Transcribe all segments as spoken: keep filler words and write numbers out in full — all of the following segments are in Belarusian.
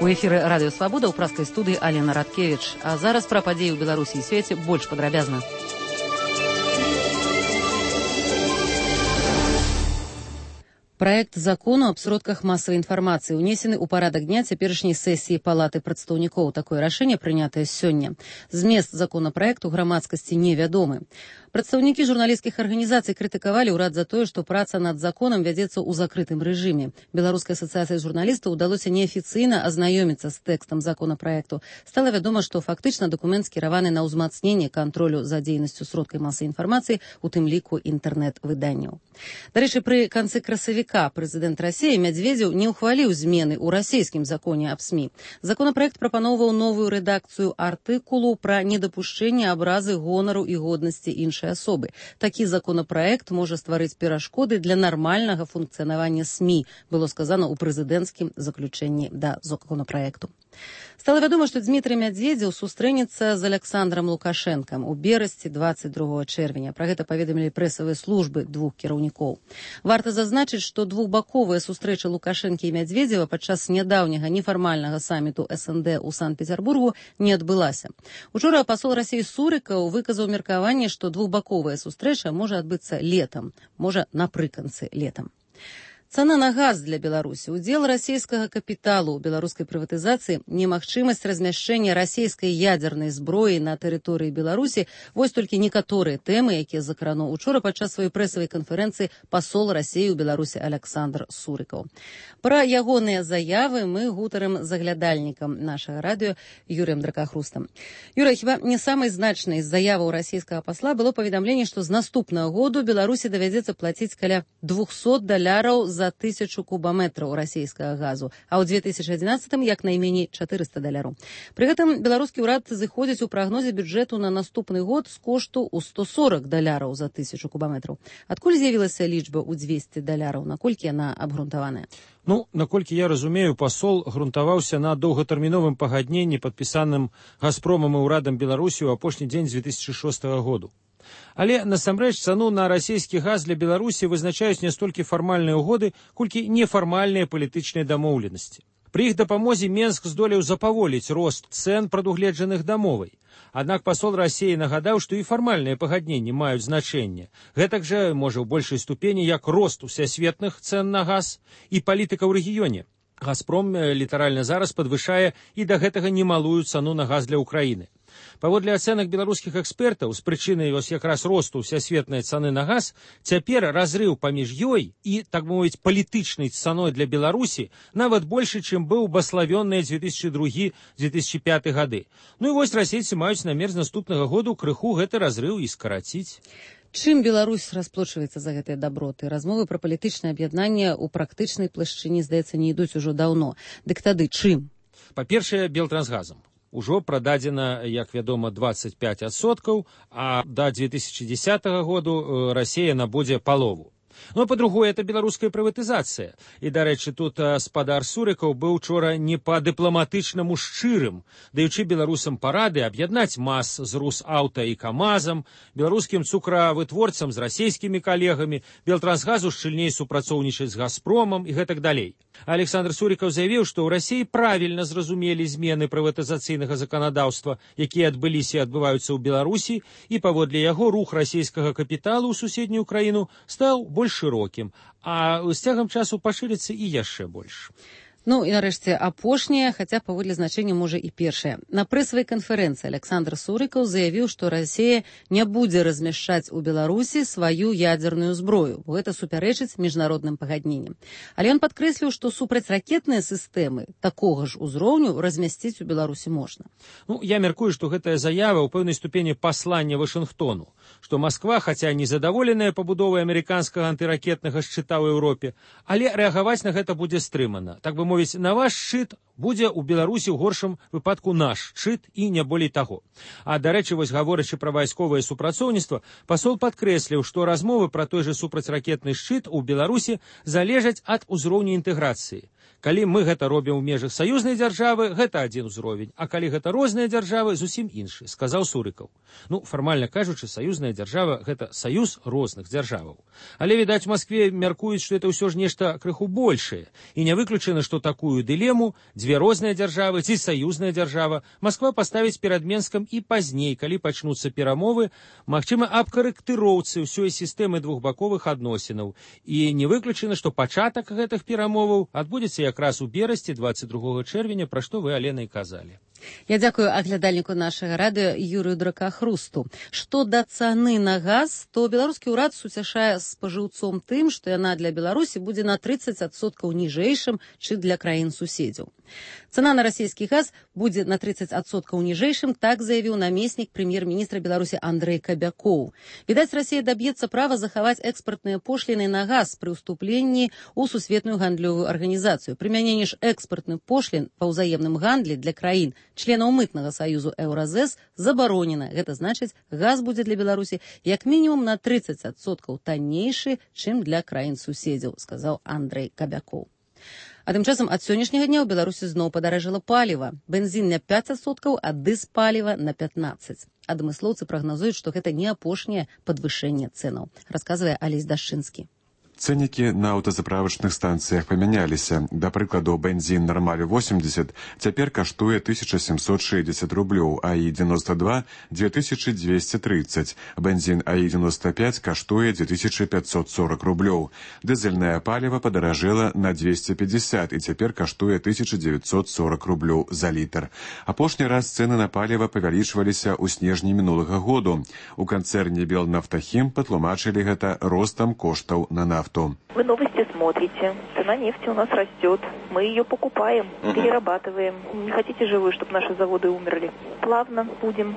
У эфіры радыё Свабода ў праскай студыі Алена Радкевіч. А зараз пра падзеі ў Беларусі і свеце больш падрабязна. Проект закону аб сродках масавай інфармацыі унесены ў парадак дня цяперашняй сесіі Палаты прадстаўнікоў. Такое рашэнне прынятае сёння. Змест законапраекту грамадскасці невядомы. Прадстаўнікі журналісцкіх арганізацый крытыкавалі ўрад за тое, што праца над законам вядзецца ў закрытым рэжыме. Беларускай асацыяцыі журналістаў удалося неафіцыйна азнаёміцца з тэкстам законапраекту. Стала вядома, што фактычна дакумент скіраваны на ўзмацненне кантролю за дзейнасцю сродкай масавай інфармацыі, у тым ліку інтэрнэт-выданняў. Дарэчы, пры канцы красавіка прэзідэнт Расіі Мядзведзеў не ўхваліў змены ў расійскім законе аб СМІ. Законапраект прапаноўваў новую рэдакцыю артыкулу пра недапушчэнне абразы гонару і годнасці іншай асобы. Такі законапраект можа стварыць перашкоды для нармальнага функцыянавання СМІ, было сказано ў прэзідэнцкім заключэнні да законапраекту. Стала вядома, што Дзмітрый Мядзведзеў сустрэнецца з Аляксандрам Лукашэнкам у берасці дваццаць другога чэрвеня. Пра гэта паведамілі прэсавыя службы двух кіраўнікоў. Варта зазначыць, што двухбаковая сустрэча Лукашэнкі і Мядзведзева падчас нядаўняга нефармальнага саміту эс эн дэ ў Санкт-Пецярбургу не адбылася. Учора пасол Расіі Сурыкаў выказаў меркаванне, што двухбаковая сустрэча можа адбыцца летам, можа напрыканцы летам. Цана на газ для Беларусі, удзел расійскага капіталу ў беларускай прыватызацыі, немагчымасць размяшчэння расійскай ядзернай зброі на тэрыторыі Беларусі – вось толькі некаторыя тэмы, якія закрануў учора падчас сваёй прэсавай канферэнцыі пасол Расіі ў Беларусі Аляксандр Сурыкаў. Пра ягоныя заявы мы гутарым з аглядальнікам нашага радыё Юрыем Дракахрустам. Юрый, хіба не самай значнай з заяваў расійскага пасла было паведамленне, што з наступнага году Беларусі давядзецца плаціць каля двухсот даляраў за за тысячу кубаметраў расійскага газу, а ў две тысячы адзінаццатым як найменей чатырыста даляраў. Пры гэтым беларускі ўрад зыходзіць у прагнозе бюджэту на наступны год з кошту ў сто сорак даляраў за тысячу кубаметраў. Адкуль з'явілася лічба ў дзвесце даляраў, наколькі яна абгрунтаваная? Ну, наколькі я разумею, пасол грунтаваўся на доўгатэрміновым пагадненні, падпісаным Газпромам і ўрадам Беларусі ў апошні дзень две тысячы шостага году. Але, насамрэч, цану на расійскі газ для Беларусі вызначаюць не столькі фармальныя ўгоды, колькі нефармальныя палітычныя дамоўленасці. Пры іх дапамозе Менск здолеў запаволіць рост цэн, прадугледжаных дамовай. Аднак пасол Расіі нагадаў, што і фармальныя пагадненні маюць значэнне. Гэтак жа, можа, ў большай ступені, як рост усесветных цэн на газ і палітыка ў рэгіёне. Газпром літаральна зараз падвышае і да гэтага немалую цану на газ для Ўкраіны. Паводле ацэнак беларускіх экспертаў, з прычыны вось якраз росту ўсясветнай цаны на газ, цяпер разрыў паміж ёй і, так мовіць, палітычнай цаной для Беларусі нават большы, чым быў баславённыя дзве тысячы другі - дзве тысячы пяты гады. Ну і вось расейцы маюць намер з наступнага году крыху гэты разрыў і скараціць. Чым Беларусь расплочваецца за гэтыя даброты? Размовы пра палітычнае аб'яднанне ў практычнай плашчыне, здаецца, не ідуць ужо даўно. Дык тады чым? Па-першае, Белтрансгазам. Ужо прададзена, як вядома, дваццаць пяць адсоткаў, а да дзве тысячы дзесятага году Расія набудзе палову. Ну, а па-другое, это беларуская прыватызацыя. І, дарэчы, тут спадар Сурыкаў быў учора не па-дыпламатычнаму шчырым, даючы беларусам парады аб'яднаць МАЗ з Русаўта і КамАЗам, беларускім цукравытворцам з расійскімі калегамі, Белтрансгазу шчыльней супрацоўнічаць з Газпромам і гэтак далей. Александр Сурыкаў заявіў, што ў Расіі правільна зразумелі змены прыватызацыйнага заканадаўства, якія адбыліся і адбываюцца ў Беларусі, і паводле яго рух расійскага капіталу ў суседнюю краіну стаў больш шырокім, а з цягам часу пашырыцца і яшчэ больш. Ну і нарэшце апошняе, хаця паводле значэння можа і першае. На прэсавай канферэнцыі Аляксандр Сурыкаў заявіў, што Расія не будзе размяшчаць у Беларусі сваю ядзерную зброю, бо гэта супярэчыць міжнародным пагадненням. Але ён падкрэсліў, што супрацьракетныя сістэмы такога ж узроўню размясціць у Беларусі можна. Ну, я мяркую, што гэтая заява ў пэўнай ступені паслання Вашынгтону, што Масква, хаця не задаволеная пабудовай амерыканскага антыракетнага шчыта ў Еўропе, але рэагаваць на гэта будзе стрымана. Так бы мовіць, на ваш шчыт будзе ў Беларусі ў горшым выпадку наш шчыт і не болей таго. А, дарэчы, вось гаворачы пра вайсковае супрацоўніцтва, пасол падкрэсліў, што размовы пра той жа супрацьракетны шчыт у Беларусі залежаць ад узроўню інтэграцыі. Калі мы гэта робім у межах саюзнай дзяржавы, гэта адзін узровень, а калі гэта розныя дзяржавы, зусім іншы, сказаў Сурыкаў. Ну, фармальна кажучы, саюзная дзяржава – гэта саюз розных дзяржаваў. Але, відаць, у Маскве мяркуюць, што это ўсё ж нешта крыху большае. І не выключана, што такую дылему, дзве розныя дзяржавы ці саюзная дзяржава, Масква паставіць перад Менскам і пазней, калі пачнуцца перамовы, магчыма, аб карэктыроўцы ўсёй сістэмы двухбаковых адносінаў. І не выключана, што пачатак гэтых перамоваў адбудзецца якраз у берасці дваццаць другога чэрвеня, пра што вы, Алена, і казалі. Я дзякую аглядальніку нашага радыё Юрыю Дракахрусту. Што да цаны на газ, то беларускі ўрад суцяшае спажыўцом тым, што яна для Беларусі будзе на трыццаць адсоткаў ніжэйшым, чым для краін-суседзяў. Цана на расійскі газ будзе на трыццаць адсоткаў ніжэйшым, так заявіў намеснік прэм'ер-міністра Беларусі Андрэй Кабякоў. Відаць, Расія даб'ецца права захаваць экспартныя пошліны на газ пры ўступленні ў сусветную гандлёвую арганізацыю. Прымяненне ж экспартных пошлін па ўзаемным гандлі для краін членаў мытнага саюзу Еўразэс забаронена. Гэта значыць, газ будзе для Беларусі як мінімум на трыццаць адсоткаў таннейшы, чым для краін-суседзяў, сказаў Андрэй Кабякоў. А тым часам ад сённяшняга дня ў Беларусі зноў падаражэла паліва. Бензін на пяць адсоткаў, а дызпаліва на пятнаццаць. Адмыслоўцы прагназуюць, што гэта не апошняе падвышэнне цэнаў, расказвае Алесь Дашчынскі. Цэнікі на аўтазаправачных станцыях памяняліся. Да прыкладу, бензін «Нормаль» восемьдесят цяпер каштуе тысяча семьсот шестьдесят рублёў, а і девяносто два – две тысячи двести тридцать. Бензін а і девяносто пять каштуе две тысячи пятьсот сорок рублёў. Дызельнае паліва падаражэла на двести пятьдесят і цяпер каштуе тысяча девятьсот сорок рублёў за літр. Апошні раз цэны на паліва павялічваліся ў снежні мінулага году. У канцэрне «Белнафтахім» патлумачылі гэта ростам коштаў на нафту. Вы новости смотрите. Цена нефти у нас растет. Мы ее покупаем, угу. перерабатываем. Не хотите же вы, чтобы наши заводы умерли? Плавно будем,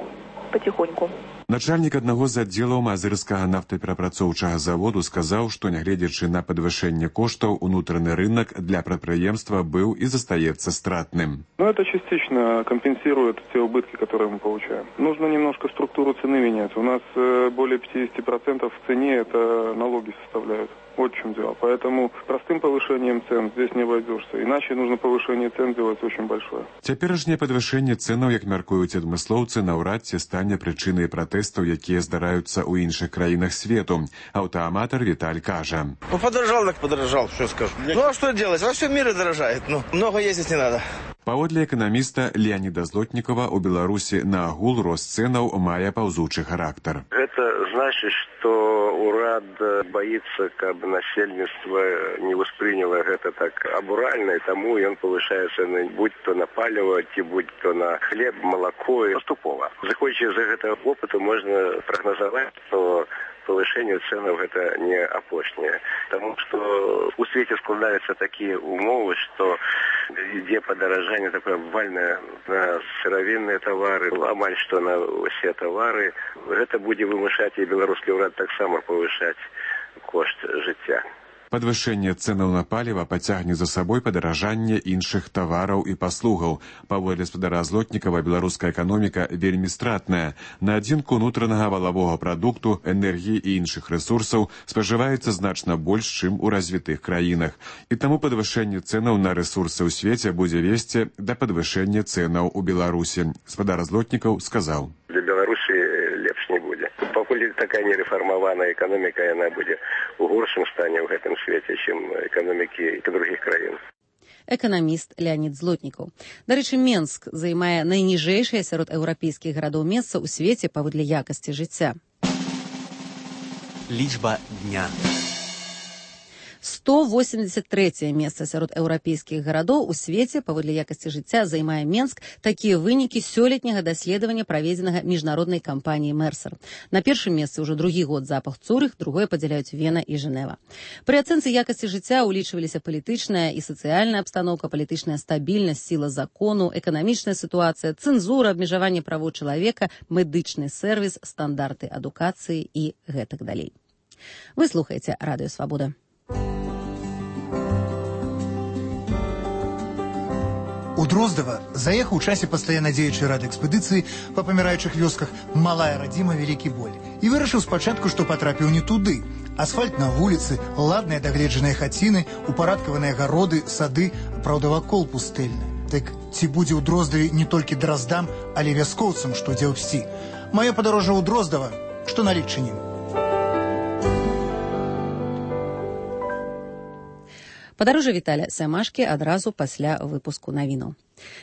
потихоньку. Начальнік аднаго з аддзелаў мазырскага нафтаперапрацоўчага заводу сказаў, што нягледзячы на падвышэнне коштаў, унутраны рынок для прадпрыемства быў и застаецца стратным. Но это частично компенсирует те убытки, которые мы получаем. Нужно немножко структуру цены менять. У нас более пятьдесят процентов в цене это налоги составляют. Вот в чем дело. Поэтому простым повышением цен здесь не обойдешься. Иначе нужно повышение цен делать очень большое. Цяперашняе падвышэнне цэнаў, як мяркуюць адмыслоўцы, наўрад ці стане прычынай пратэстаў, якія здараюцца ў іншых краінах свету. Аўтааматар Віталь кажа. Ну, подорожал, так подорожал, что скажу. Ну, а что делать? Во всем мире дорожает. Ну, много ездить не надо. Паводле эканаміста Леаніда Злотнікова, у Беларусі на агул рост цэнаў мае паўзучы характар. Это значит, что урад боится, каб насельніцтва не восприняло гэта так абуральна, и тому ён повышае цены, будь то на паліва, ці будь то на хлеб, молоко, и поступова. Заходячи з гэтага опыту, можна прагназаваць, што повышение ценов это не апошняе. Потому что у свете складываются такие умовы, что ідзе падаражанне такое обвальное на сыровинные товары, амаль что на все товары. Это будзе вымушаць и беларускі ўрад таксама повышаць кошт жыцця. Падвышэнне цэнаў на паліва пацягне за сабой падаражанне іншых тавараў і паслугаў. Паводле спадара Злотнікава, беларуская эканоміка вельмі стратная. На адзінку унутранага валавога прадукту, энергіі і іншых рэсурсаў спажываецца значна больш, чым у развітых краінах. І таму падвышэнне цэнаў на рэсурсы ў свеце будзе весці да падвышэння цэнаў у Беларусі. Спадар Злотнікаў сказаў. Для Беларусі лепш не будзе. Пакуль такая нерэфармаваная эканоміка, яна будзе у горшым стане ў гэтым свеце, чым эканомікі другіх краін. Эканаміст Леанід Злотнікаў. Дарэчы, Менск займае найніжэйшае сярод еўрапейскіх гарадоў месца ў свеце паводле якасці жыцця. Лічба дня. сто восемьдесят трэцяе месца сярод еўрапейскіх гарадоў у свеце паводле якасці жыцця займае Менск. Такія вынікі сёлетняга даследавання, праведзенага міжнароднай кампаніяй Мерсер. На першым месцы ўжо другі год запах Цурых, другое падзяляюць Вена і Жэнева. Пры ацэнцы якасці жыцця ўлічваліся палітычная і сацыяльная абстаноўка, палітычная стабільнасць, сіла закону, эканамічная сітуацыя, цэнзура, абмежаванне правоў чалавека, медычны сервіс, стандарты адукацыі і гэтак далей. Вы слухаеце Радыё Свабода. У Дроздава заехаў у часе пастаянна дзеючай рады экспедыцыі па паміраючых вёсках малая радзіма Вялікі Боль і вырашыў спачатку, што патрапіў не туды. Асфальт на вуліцы, ладныя дагледжаныя хаціны, упарадкаваныя гароды, сады, праўда, вакол пустэльны. Так ці будзе ў Дроздаве не толькі драздам, але вяскоўцам, што дзе ўсці. Маё падарожжа ў Дроздава, што налік чынім. Падарожжа Віталя Сямашкі адразу пасля выпуску навінаў.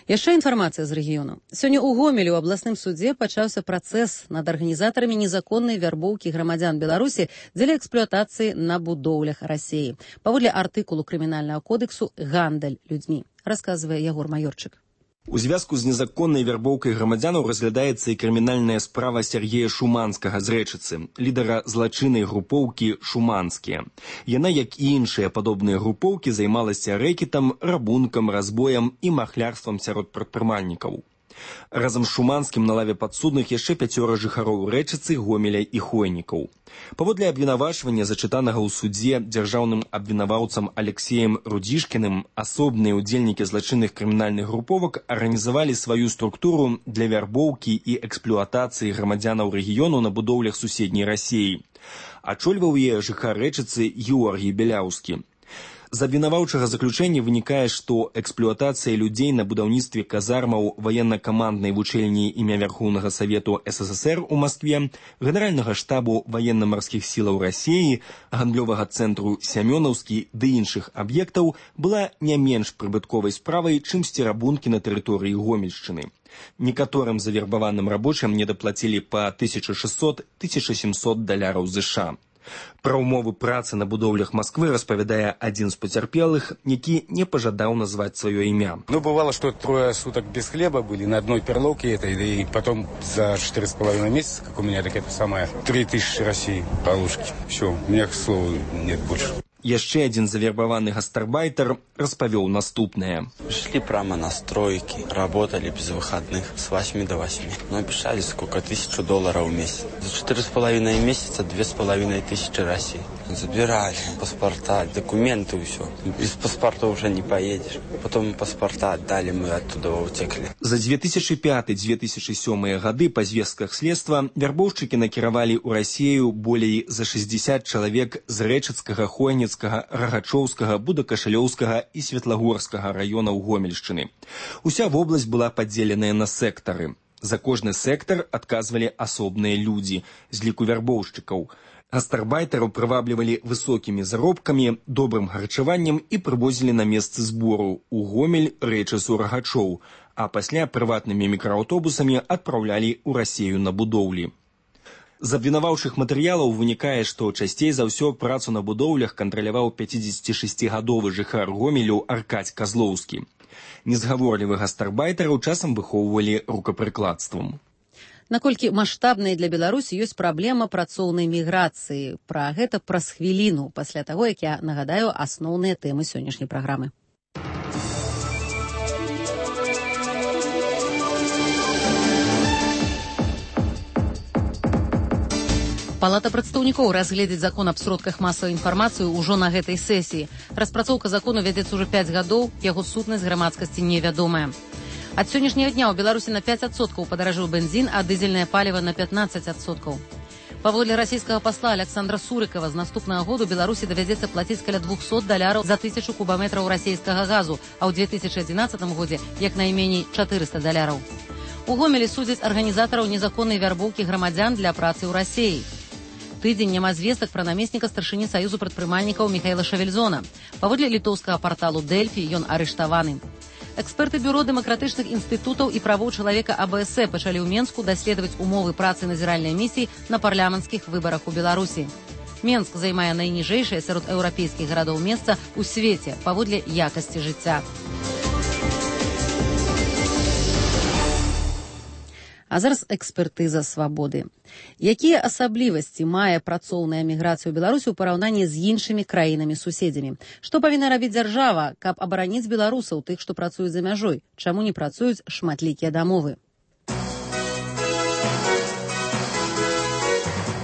Яшчэ інфармацыя з рэгіёну. Сёння ў Гомелі ў абласным судзе пачаўся працэс над арганізатарамі незаконнай вярбоўкі грамадзян Беларусі дзеля эксплуатацыі на будоўлях Расіі. Паводле артыкулу крымінальнага кодексу «Гандаль людзьмі», расказвае Ягор Маёрчык. У звязку з незаконнай вярбоўкай грамадзянаў разглядаецца і крымінальная справа Сергея Шуманскага з Рэчыцы, лідара злачыннай групоўкі «Шуманскія». Яна, як і іншыя падобныя групоўкі, займалася рэкетам, рабункам, разбоем і махлярствам сярод прадпрымальнікаў. Разам з Шуманскім на лаве падсудных яшчэ пяцёра жыхароў Рэчыцы, Гомеля і Хойнікаў. Паводле абвінавачвання, зачытанага ў судзе дзяржаўным абвінаваўцам Алексеем Рудзішкіным, асобныя ўдзельнікі злачынных крымінальных груповак арганізавалі сваю структуру для вярбоўкі і эксплуатацыі грамадзянаў рэгіёну на будоўлях суседняй Расіі. Ачольваў яе жыхар Рэчыцы Георгій Беляўскі. З абвінаваўчага заключэння вынікае, што эксплуатацыя людзей на будаўніцтве казармаў ваенна-каманднай вучэльні імя Вярхоўнага Савету СССР у Маскве, Генеральнага штабу ваенна-марскіх сілаў Расіі, гандлёвага цэнтру Сямёнаўскі ды іншых аб'ектаў была не менш прыбытковай справай, чымсьці рабункі на тэрыторыі Гомельшчыны. Некаторым завербаваным рабочым недаплацілі па тысяча шэсцьсот - тысяча сямсот даляраў ЗША. Пра ўмовы працы на будоўлях Масквы распавядае адзін з пацярпелых, які не пажадаў назваць сваё імя. Ну, бывало, что трое суток без хлеба были на одной перловке этой, и потом за четыре с половиной месяца, как у меня, так это самое, три тысячи России полушки. Все, у меня, к слову, нет больше. Яшчэ адзін завербаваны гастарбайтер распавёў наступнае. Шли прямо на стройки, работали без выходных с восьми до восьми. Но обещали сколько? Тысячу долларов в месяц. За четыре с половиной месяца две с половиной тысячи России. Забирали паспорта, документы и все. Без паспорта уже не поедешь. Потом паспорта отдали, мы оттуда утекли. За две тысячи пятый - две тысячи седьмой гады па звестках следства вярбоўшчыкі накіравалі ў Расію болей за шестьдесят чалавек з Рэчыцкага, Хойніцкага, Рагачоўскага, Будакашалёўскага і Светлагорскага раёнаў Гомельшчыны. Уся вобласць была падзеленая на сектары. За кожны сектар адказвалі асобныя людзі з ліку вярбоўшчыкаў. Гастарбайтараў прываблівалі высокімі заробкамі, добрым харчаваннем і прывозілі на месцы збору ў Гомель, Рэчыцу, Рагачоў, а пасля прыватнымі мікрааўтобусамі адпраўлялі ў Расію на будоўлі. З абвінаваўчых матэрыялаў вынікае, што часцей за ўсё працу на будоўлях кантраляваў пяцідзесяцішасцігадовы жыхар Гомелю Аркадзь Казлоўскі. Незгаворлівых гастарбайтараў часам выхоўвалі рукапрыкладствам. Наколькі маштабнай для Беларусі ёсць праблема працоўнай міграцыі. Пра гэта праз хвіліну, пасля таго, як я нагадаю асноўныя тэмы сённяшняй праграмы. Палата прадстаўнікоў разгледзіць закон аб сродках масавай інфармацыі ўжо на гэтай сесіі. Распрацоўка закону вядзецца ўжо пяць гадоў, яго сутнасць грамадскасці невядомая. Ад сённяшняга дня ў Беларусі на пяць адсоткаў падаражэў бензін, а дызельнае паліва на пятнаццаць адсоткаў. Паводле расійскага пасла Александра Сурыкова з наступнага году Беларусі давядзецца плаціць каля двухсот даляраў за тысячу кубаметраў расійскага газу, а ў две тысячы адзінаццатым годзе як найменей чатырыста даляраў. У Гомелі судзяць арганізатараў незаконнай вярбоўкі грамадзян для працы ў Расіі. Тыдзень няма звестак пра намесніка старшыні Саюзу прадпрымальнікаў Міхаіла Шавельзона. Паводле літоўскага парталу Дэльфі ён арыштаваны. Эксперты бюро дэмакратычных інстытутаў і правоў чалавека А Б С пачалі ў Менску даследаваць умовы працы назіральнай місіі на парламенцкіх выбарах у Беларусі. Менск займае найніжэйшае сярод еўрапейскіх гарадоў месца ў свеце паводле якасці жыцця. А зараз экспертыза свабоды. Якія асаблівасці мае працоўная міграцыя ў Беларусі ў параўнанні з іншымі краінамі-суседзямі? Што павінна рабіць дзяржава, каб абараніць беларусаў, тых, што працуюць за мяжой? Чаму не працуюць шматлікія дамовы?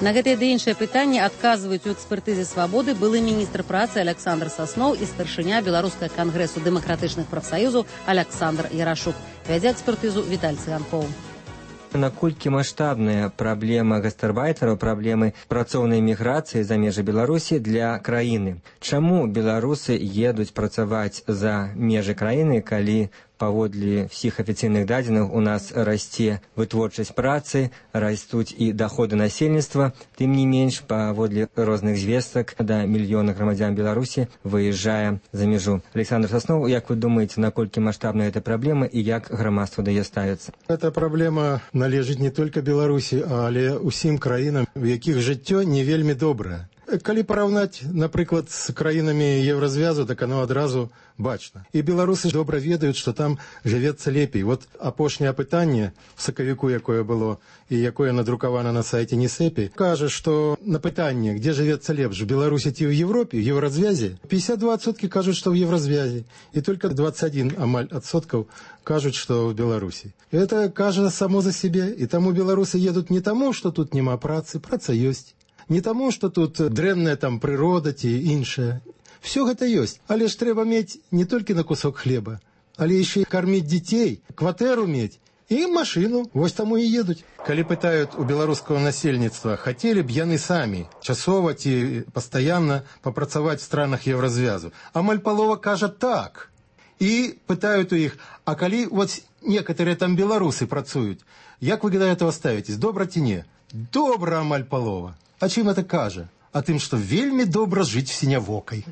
На гэтыя ды іншыя пытанні адказваюць у экспертызе свабоды былы міністр працы Александр Сасноў і старшыня Беларускага кангрэсу дэмакратычных прафсаюзаў Александр Ярашук. Вядзе экспертызу Віталь Цыганкоў. Наколькі маштабная праблема гастарбайтараў, праблемы працоўнай міграцыі за межы Беларусі для краіны? Чаму беларусы едуць працаваць за межы краіны, калі паводле ўсіх афіцыйных дадзеных у нас расце вытворчасць працы, растуць і даходы насельніцтва, тым не менш, паводле розных звестак, да мільёна грамадзян Беларусі выязджае за мяжу. Александр Соснов, як вы думаете, наколькі маштабная эта праблема і як грамадства да яе ставіцца? Эта праблема належыць не толькі Беларусі, але ўсім краінам, у якіх жыццё не вельмі добрае. Калі параўнаць, напрыклад, з краінамі Еўразвязу, так оно адразу бачна. І беларусы добра ведаюць, што там жывецца лепей. Вот апошняе пытанне в сакавіку, якое было, і якое надрукавана на сайце НИСЭПИ, кажа, што на пытанне, дзе жывецца лепш, в Беларусі ці ў Европе, в Еўразвязе, пятьдесят два адсоткі кажуць, што ў Еўразвязе, і только двадцать один амаль адсоткаў кажуць, што ў Беларусі. Это кажа само за сябе, і таму беларусы едуць не таму, што тут няма працы, праца ёсць. Не таму, што тут дрэнная там прырода ці іншая. Все гэта ёсць, але ж трэба мець не толькі на кусок хлеба, але яшчэ і карміць дзяцей, кватэру мець і машыну. Вось таму і едуць. Калі пытаюць у беларускага насельніцтва, хацелі б яны самі часова ці пастаянна папрацаваць в странах Еўразвязу, амаль палова кажа так. І пытаюць у іх, а калі вот некаторыя там беларусы працуюць, як вы да этого ставитесь, добра ці не? Добра амаль палова. А чым это кажа? А тым, што вельмі добра жыць сінявокай.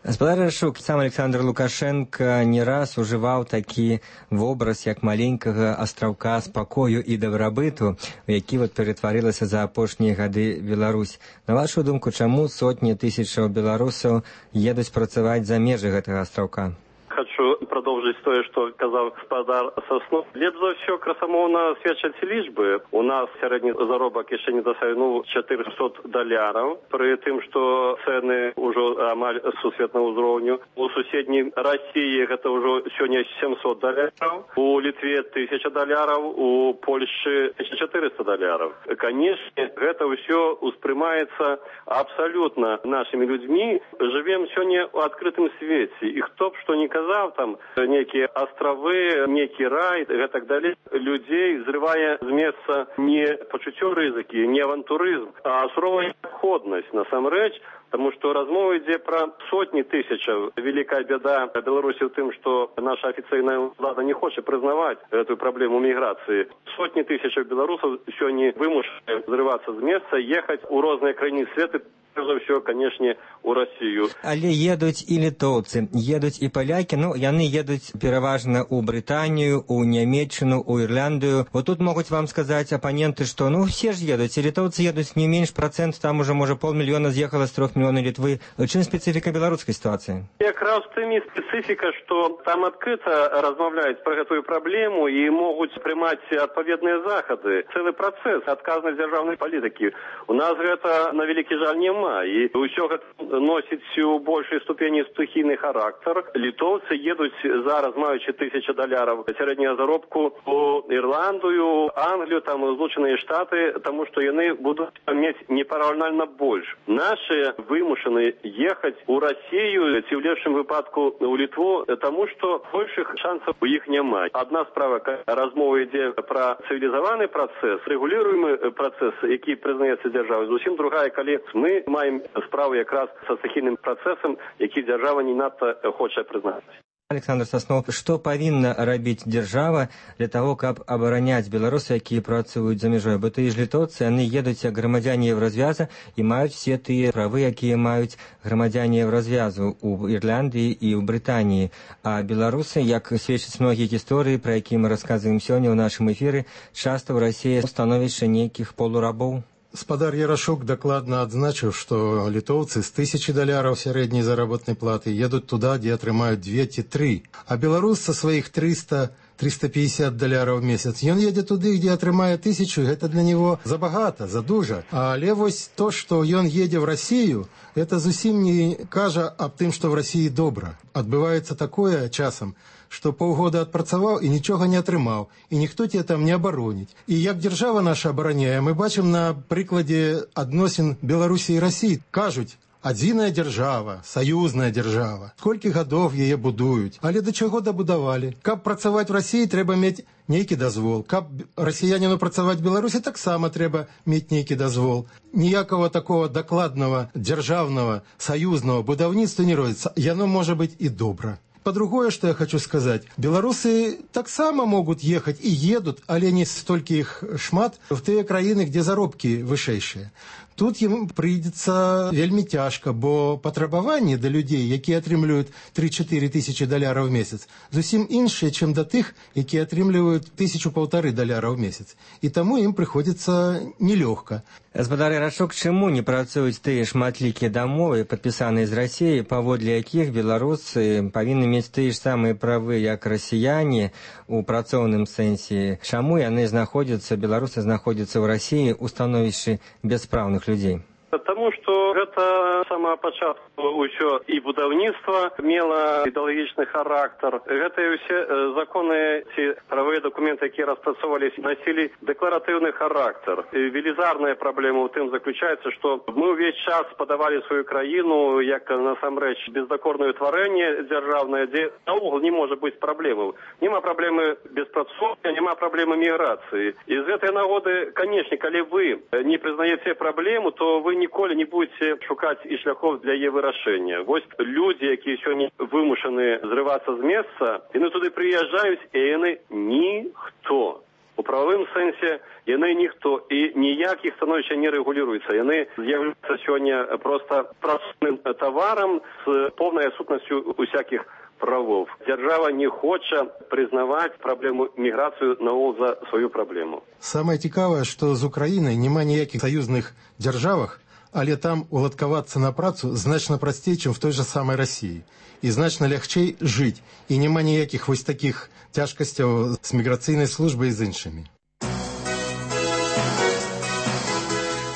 Гаспадар Ярошук, сам Александр Лукашенко не раз ужываў такі вобраз, як маленькага астраўка спакою і дабрабыту, у які вот ператварылася за апошнія гады Беларусь. На вашу думку, чаму сотні тысячаў беларусаў едуць працаваць за межы гэтага астраўка? Хочу продовжити те, що казав господар Соснов. Лепш за все красомовно свідчать лічби. У нас середній заробок ще не досягнув чотириста доларів, при тим, що ціни вже амаль сусвітного уровня. У сусідній Росії це вже сьогодні сімсот доларів, у Литві тисяча доларів, у Польщі чотириста доларів. Звісно, це все усприймається абсолютно нашими людьми. Живемо сьогодні у відкритому світі. І хто б що не казав, там некие островы, некий рай и так далее, людей зрывая с места не почуття ризики, не авантуризм, а суровая необходность, насамрэч, потому что размова йде про сотни тысяч. Великая беда Беларуси в том, что наша официальная влада не хочет признавать эту проблему миграции. Сотни тысяч белорусов сегодня вымушены взрываться с места, ехать у разные крайние света, за все, конечно, у Россию. Але едуць і літоўцы, едуць і палякі, ну, яны едуць пераважна ў Брытанію, у Нямецчыну, у Ірландыю. Вот тут могуць вам сказаць апаненты, што, ну, все ж едуць, і літоўцы едуць не менш процент, там уже, можа, полмільёна з'ехала з трох мільёнаў Літвы. Чым спецыфіка беларускай сітуацыі? Якраз в тым і спецыфіка, што там адкрыта размаўляюць пра гэтую праблему і могуць прымаць адпаведныя захады. Цэлы працэс адказнай дзяржаўнай палітыкі. У нас гэта, на вялікі жаль, няма. І ўсё гэта носіць у большай ступені стыхійны характар. Літоўцы едуць зараз, маючы тысяча даляраў сярэдняга заробку, у Ірландію, Англію, там Злучаныя Штаты, таму што яны будуць мець непараўнальна больш. Нашы вымушаны ехаць у Расію ці ў лепшым выпадку у Літву, таму што большых шансаў у іх няма. Адна справа, размова ідзе пра цывілізаваны працэс, рэгуліруемы працэс, які прызнаецца дзяржавай. Зусім другая, калі мы маем справу якраз са стыхійным працэсам, які дзяржава не надта хоча прызнаць. Александр Соснов, што павінна рабіць дзяржава для того, каб абараняць беларусы, якія працуюць за мяжой? Бо тыя ж літоўцы, яны едуць як грамадзяне Еўразвяза і маюць все тыя правы, якія маюць грамадзяне Еўразвязу ў Ірландыі і ў Брытаніі. А беларусы, як сведчаць многія гісторыі, пра якія мы расказваем сёння ў нашым эфіры, часта ў Расіі становішча нейкіх полурабоў. Спадар Ярошук дакладна адзначыў, што літоўцы з тысячи даляраў сярэдняй заработнай платы едуць туда, дзе атрымаюць две ці тры, а беларус са сваіх триста — триста пятьдесят даляраў в месяц, ён едзе туды, дзе атрымае тысячу, гэта для него забагата, задужа. Але вось то, што ён едзе в Расію, это зусім не кажа аб тым, што в Расіі добра. Адбываецца такое часам, што паўгода адпрацаваў і нічога не атрымаў, і ніхто тебе там не абароніць. І як дзяржава наша абараняе, мы бачым на прыкладзе адносін Беларусі і Расіі. Кажуць, Адзіная дзяржава, саюзная дзяржава. Колькі гадоў яе будуюць. Але да чаго дабудавалі? Каб працаваць в Расіі, трэба мець нейкі дазвол. Каб расіяніну працаваць в Беларусі, таксама трэба мець нейкі дазвол. Ніякага такого дакладнага, дзяржаўнага, саюзнага будаўніцтва не робіцца. Яно можа быць і добра. По-другое, что я хочу сказать, белорусы так само могут ехать и едут, але не столько их шмат, в те краины, где заробки вышэйшие. Тут ему придется вельми тяжко, бо патрабаванні да людей, якія атрымліваюць три-чатыры тысячи даляраў в месяц, зусім іншыя, чым да тых, якія атрымліваюць тысячу-полторы даляра в месяц. І таму ім прыходзіцца нелёгка. Гаспадар Ярашук, чаму не працуюць тыя шматлікія дамовы, падпісаныя з Расіяй, паводле якіх беларусы павінны мець тыя ж самыя правы, як расіяне у працоўным сэнсе? Чаму яны знаходзяцца, беларусы знаходзяцца ў Расіі ў становішчы бяспраўных людей? Тому что гэта самого пачатку ўсё і будаўніцтва мела ідэалагічны характар. Гэта і ўсе законы ці правыя документы, якія распрацоўваліся, носілі дэкларатыўны характар. Велізарная праблема ў тым заключаецца, што мы ўвесь час падавалі сваю краіну як насамрэч бездакорнае тварэнне дзяржаўнае, дзе наогул не можа быць праблемаў. Няма праблемы беспрацоўя, няма праблемы міграцыі. І з гэтай нагоды, канечне, калі вы не прызнаеце праблему, то вы ніколі не будете шукаць і шляхов для яе вырашэння. Вось людзі, якія сёння вымушаны зрывацца з месца, яны туды прыязджаюць, і яны ніхто. У прававым сэнсе яны ніхто, і ніяк іх становішча не рэгулюецца. Яны з'яўляюцца сёння проста працоўным таварам з поўнай адсутнасцю усякіх правов. Дзяржава не хоча прызнаваць праблему міграцыю наогул за сваю праблему. Самае цікавае, што з Украінай няма ніякіх саюзных дзяржавах, але там уладкавацца на працу значна прасцей, чым в той же самай Расіі. І значна лягчэй жыць. І няма ніякіх вось такіх цяжкасцяў з міграцыйнай службай і з іншымі.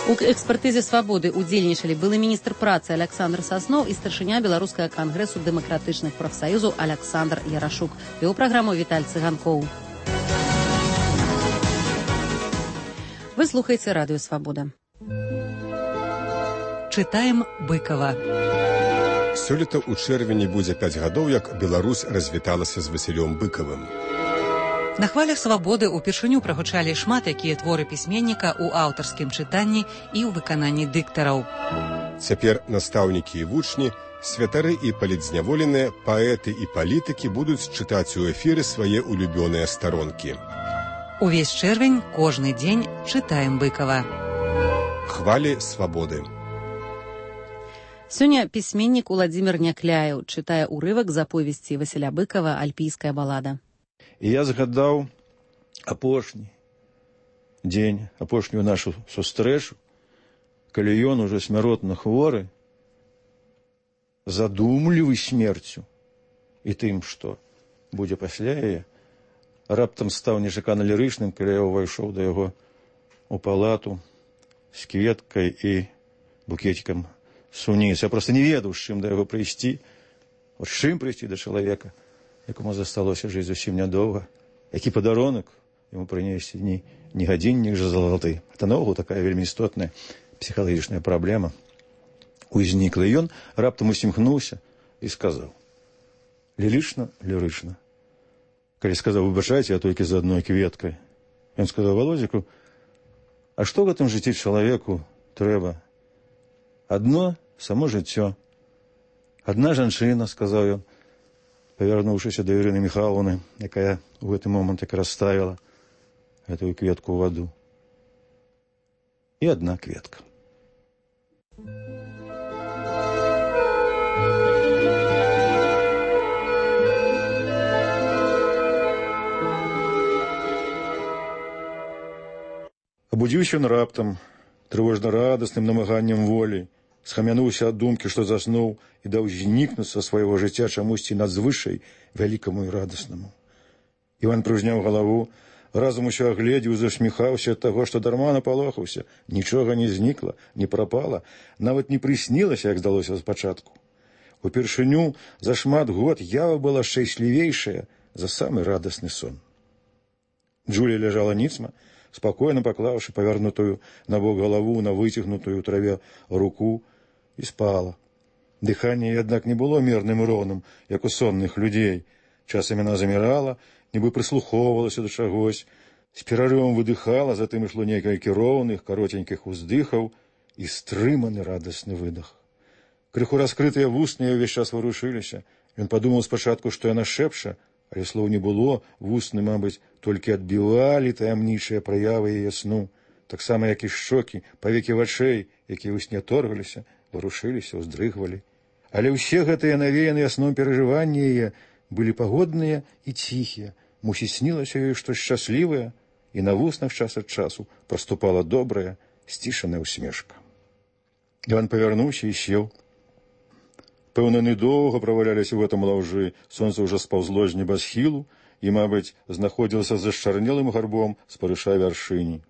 У экспертызе «Свабоды» удзельнічалі былы міністр працы Александр Сасноў і старшыня Беларускага кангрэсу дэмакратычных прафсаюзаў Александр Ярашук. Вёў праграму Віталь Цыганкоў. Вы слухаеце радыё «Свабода». Чытаем Быкова. Сёлета ў чэрвені будзе пяць гадоў, як Беларусь развіталася з Васілём Быкавым. На хвалях «Свабоды» упершыню прагучалі шмат якія творы пісьменніка ў аўтарскім чытанні і ў выкананні дыктараў. Цяпер настаўнікі і вучні, святары і палітзняволеныя, паэты і палітыкі будуць чытаць у эфіры свае улюбёныя старонкі. Увесь чэрвень, кожны дзень чытаем Быкава. Хвалі «Свабоды». Сёння пісьменнік Уладзімір Някляеў чытае ўрывак з аповесці Васіля Быкава «Альпійская балада». І я згадаў апошні дзень, апошнюю нашу сустрэчу, калі ён ужо смяротна хворы, задумлівы смерцю і тым, што будзе пасля яе, раптам стаў нечакана лірычным, калі я ўвайшоў да яго у палату з кветкай і букетикам суніц. Я проста не ведаў, з чым да яго прыйсці, з чым прыйсці да чалавека, якому засталося жыць зусім нядоўга, які падарунак яму прынесці ні, ні гадзіннік жа залаты. Это наогул такая вельмі істотная псіхалагічная праблема узнікла. І ён раптам усміхнуўся і сказаў: лірычна, лірычна. Калі сказаў: выбачайце, я толькі за адной кветкай. Ён сказаў: Володзіку, а што в гэтым жыцці чалавеку трэба? Адно само жыццё. Адна жанчына, сказаў ён, павярнуўшыся да Ірыны Міхайлаўны, якая ў гэты момант як расставіла гэтую кветку ў ваду. І адна кветка. Абудзіўся ён раптам, трывожна-радасным намаганнем волі, схамянуўся ад думкі, што заснуў і даў знікнуць са свайго жыцця чамусьці надзвышай вялікаму і радаснаму. Іван прыўзняў галаву, разам усё агледзеў, засміхаўся ад таго, што дарма напалохаўся. Нічога не знікла, не прапала, нават не прыснілася, як здалося спачатку. Упершыню за шмат год ява была шчаслівейшая за самы радасны сон. Джулія ляжала ніцма, спакойна паклаўшы павярнутую на бок галаву на выцягнутую ў траве руку, і спала. Дыханне, аднак, не было мірным і роўным, як у сонных людзей. Часам яна замірала, нібы прыслухоўвалася да чагось, з перарывам выдыхала, затым ішло некалькі роўных, каротенькіх уздыхаў і стрыманы радасны выдах. Крыху раскрытыя вусны ўвесь час варушыліся. Ён падумаў спачатку, што яна шэпча, але слоў не было, вусны, мабыць, толькі адбівалі таямнічыя праявы яе сну, таксама, як і шчокі, павекі вачэй, якія ў сне торгаліся, варушыліся, уздрыгвалі. Але ўсе гэтыя навеяныя сном перажыванні яе былі пагодныя і ціхія. Мусіць, снілася ёй штось шчаслівае, і на вуснах час ад часу праступала добрая, сцішаная усмешка. Іван павярнуўся і сеў. Пэўна, яны доўга праваляліся ў гэтым лаўжы, сонца ўжо спаўзло з небасхілу і, мабыць, знаходзілася за зашчарнелым гарбом спарыша вяршыні.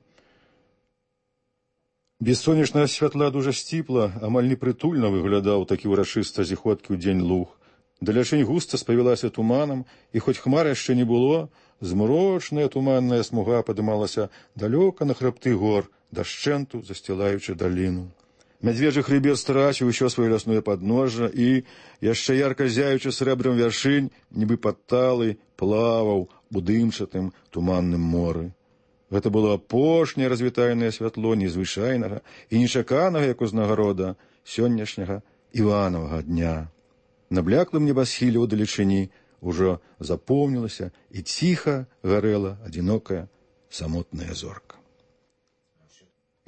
Без сонечнага святла дужа сціпла, амаль непрытульна выглядаў такі ўрачыста зіходкі ў дзень луг. Далячынь густа спавілася туманам, і хоць хмар яшчэ не было, змрочная туманная смуга падымалася далёка на хрыбты гор, дашчэнту засцілаючы даліну. Мядзведжы хрыбет страціў усё сваё лясное падножжа і, яшчэ ярка зяючы срэбрам вяршынь, нібы падталы, плаваў у дымчатым туманным моры. Гэта было апошняе развітальнае святло незвычайнага і нечаканага, як узнагарода, сённяшняга Іванавага дня. На бляклым небасхіле ў далечыні ўжо запомнілася і ціха гарэла адзінокая самотная зорка.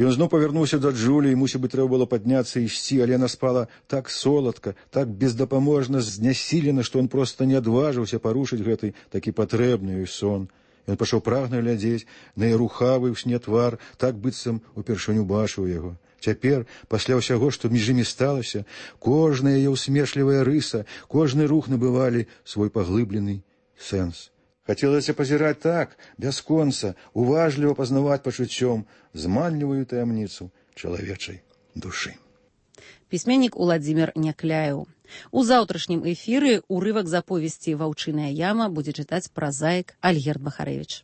Ён зноў павярнуўся да Джулі, і, мусіць быць, трэба было падняцца і ісці, але яна спала так соладка, так бездапаможна знясілена, што ён проста не адважыўся парушыць гэты такі патрэбны ёй сон. Ён пачаў прагна глядзець на яе рухавы ў сне твар, так быццам упершыню бачыў яго. Цяпер, пасля ўсяго, што між імі сталася, кожная яе ўсмешлівая рыса, кожны рух набывалі свой паглыблены сэнс. Хацелася пазіраць так, бясконца, уважліва пазнаваць пачуццём зманлівую таямніцу чалавечай душы. Пісьменнік Уладзімір Някляеў. У заўтрашнім эфіры ўрывак з аповесці «Ваўчыная яма» будзе чытаць празаік Альгерд Бахарэвіч.